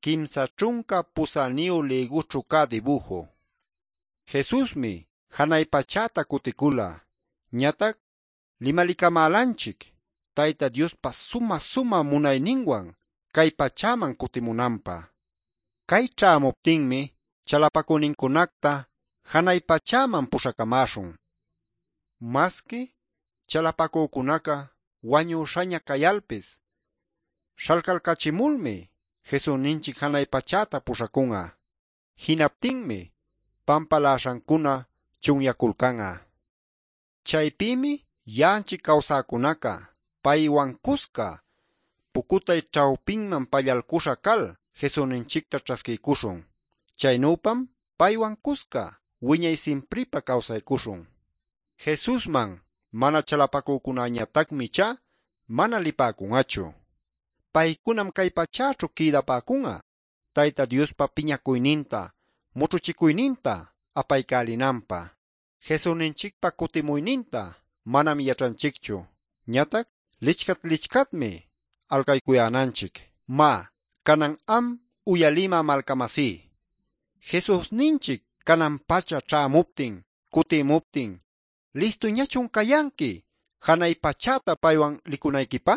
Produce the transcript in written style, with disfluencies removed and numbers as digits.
38 ligućhu cä dibujo. Jesusmi hanay pachäta cuticula. Ñatac limalicamälanchic Tayta Diospa sumä-sumä munayninwan cay pachäman cutimunanpä. Cay ćhämuptinmi chalapacünincunacta hanay pachäman puśhacamäśhun. Masqui chalapacücunaca wañüśhaña cayalpis śhalcalcachimulmi Jesusninchic hanay pachäta puśhacun'a. Jinaptinmi pampaläśhancuna chunyaculcan'a. Chaypïmi ya'anchic cawsäcunaca paywan cusca pucutay ćhawpinman pallalcuśha cal Jesusninchicta ćhasquiycuśhun. Chaynüpam paywan cusca wiñay simpripä cawsaycuśhun. Jesusman mana chalapacücunäñatacmi ichá mana lipäcun'achu. Paycunam cay pachäćhu quïdapäcun'a Tayta Diospa piñacuyninta, mućhuchicuyninta apaycälinanpä. Jesusninchicpa cutimuyninta manam yaćhanchicchu. Ñatac lichcat-lichcatmi alcaycuyänanchic. Má, canan am uyalimä malcamasí. Jesusninchic canan pacha ćhämuptin, cutimuptin, ¿listuñachun cayanqui hanay pachäta paywan licunayquipä?